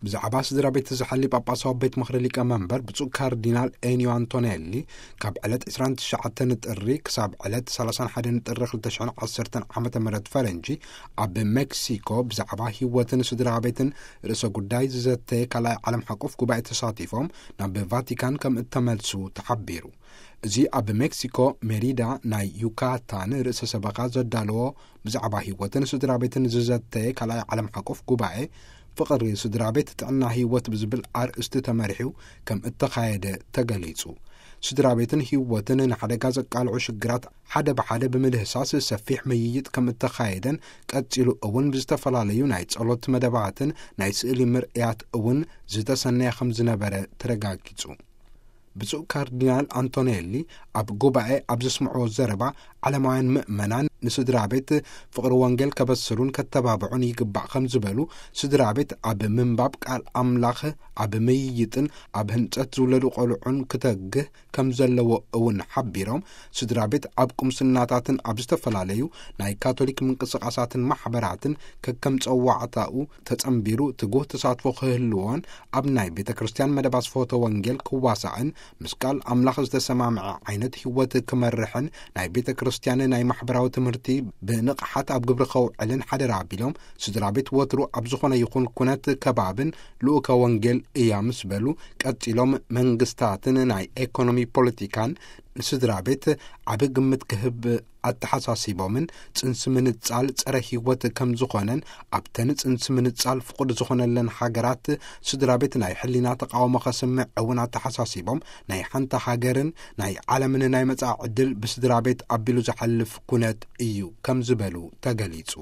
ብዛዕባ ስድራ ቤት ዝሓሊ ጳጳሳዊ ቤት ምኽሪ ሊቀ መንበር ብፁዕ ካርዲናል ኤኒዮ ኣንቶኔሊ፣ ካብ ዕለት ዕስራን ትሽዓተን ጥሪ ክሳብ ዕለት ሰላሳን ሓደን ጥሪ ክልተ ሽሕን ዓሰርተን ዓመተ ምህረት ፈረንጂ፣ ኣብ ሜክሲኮ ብዛዕባ ህይወትን ስድራ ቤትን ርእሰ ጉዳይ ዝዘተየ ካልኣይ ዓለም ሓቆፍ ጉባኤ ተሳቲፎም ናብ ቫቲካን ከም እተመልሱ ተሓቢሩ። እዚ ኣብ ሜክሲኮ ሜሪዳ ናይ ዩካታን ርእሰ ሰበኻ ዘዳለዎ ብዛዕባ ህይወትን ስድራ ቤትን ዝዘተየ ካልኣይ ዓለም ሓቆፍ ጉባኤ፣ ፍቕሪ ስድራ ቤት ጥዕና ህይወት ብዝብል ኣርእስቲ ተመሪሑ ከም እተኻየደ ተገሊጹ። ስድራ ቤትን ህይወትን ንሓደጋ ዘቃልዑ ሽግራት ሓደ ብሓደ ብምድህሳስ ሰፊሕ ምይይጥ ከም እተኻየደን፣ ቀጺሉ እውን ብዝተፈላለዩ ናይ ጸሎት መደባትን ናይ ስእሊ ምርእያት እውን ዝተሰነየ ከም ዝነበረ ተረጋጊጹ። ብፁዕ ካርዲናል ኣንቶኔሊ ኣብ ጉባኤ ኣብ ዘስምዕዎ ዘረባ፣ ዓለማውያን ምእመናን ንስድራ ቤት ፍቕሪ ወንጌል ከበስሩን ከተባብዑን ይግባእ ከም ዝበሉ፣ ስድራ ቤት ኣብ ምንባብ ቃል ኣምላኽ፣ ኣብ ምይይጥን ኣብ ህንጸት ዝውለዱ ቆልዑን ክተግህ ከም ዘለዎ እውን ሓቢሮም፣ ስድራ ቤት ኣብ ቁምስናታትን ኣብ ዝተፈላለዩ ናይ ካቶሊክ ምንቅስቓሳትን ማሕበራትን ከከም ጸዋዕታኡ ተጸንቢሩ ትጉህ ተሳትፎ ክህልዎን፣ ኣብ ናይ ቤተ ክርስቲያን መደብ ኣስፍሆተ ወንጌል ክዋሳእን፣ ምስ ቃል ኣምላኽ ዝተሰማምዐ ዓይነት ህይወት ክመርሕን፣ ናይ ቤተ ክርስቲያን ናይ ማሕበራዊ ትምህርቲ ብንቕሓት ኣብ ግብሪ ከውዕልን ሓደራ ኣቢሎም፣ ስድራ ቤት ወትሩ ኣብ ዝኾነ ይኹን ኩነት ከባብን ልኡከ ወንጌል እያ ምስ በሉ፣ ቀጺሎም መንግስታትን ናይ ኤኮኖሚ ፖለቲካን ንስድራ ቤት ዓቢ ግምት ክህብ ኣተሓሳሲቦምን፣ ጽንሲ ምንጻል ጸረ ህይወት ከም ዝኾነን፣ ኣብተን ጽንሲ ምንጻል ፍቑድ ዝኾነለን ሃገራት ስድራ ቤት ናይ ሕሊና ተቃውሞ ከስምዕ እውን ኣተሓሳሲቦም፣ ናይ ሓንቲ ሃገርን ናይ ዓለምን ናይ መጻኢ ዕድል ብስድራ ቤት ኣቢሉ ዝሓልፍ ኩነት እዩ ከም ዝበሉ ተገሊጹ።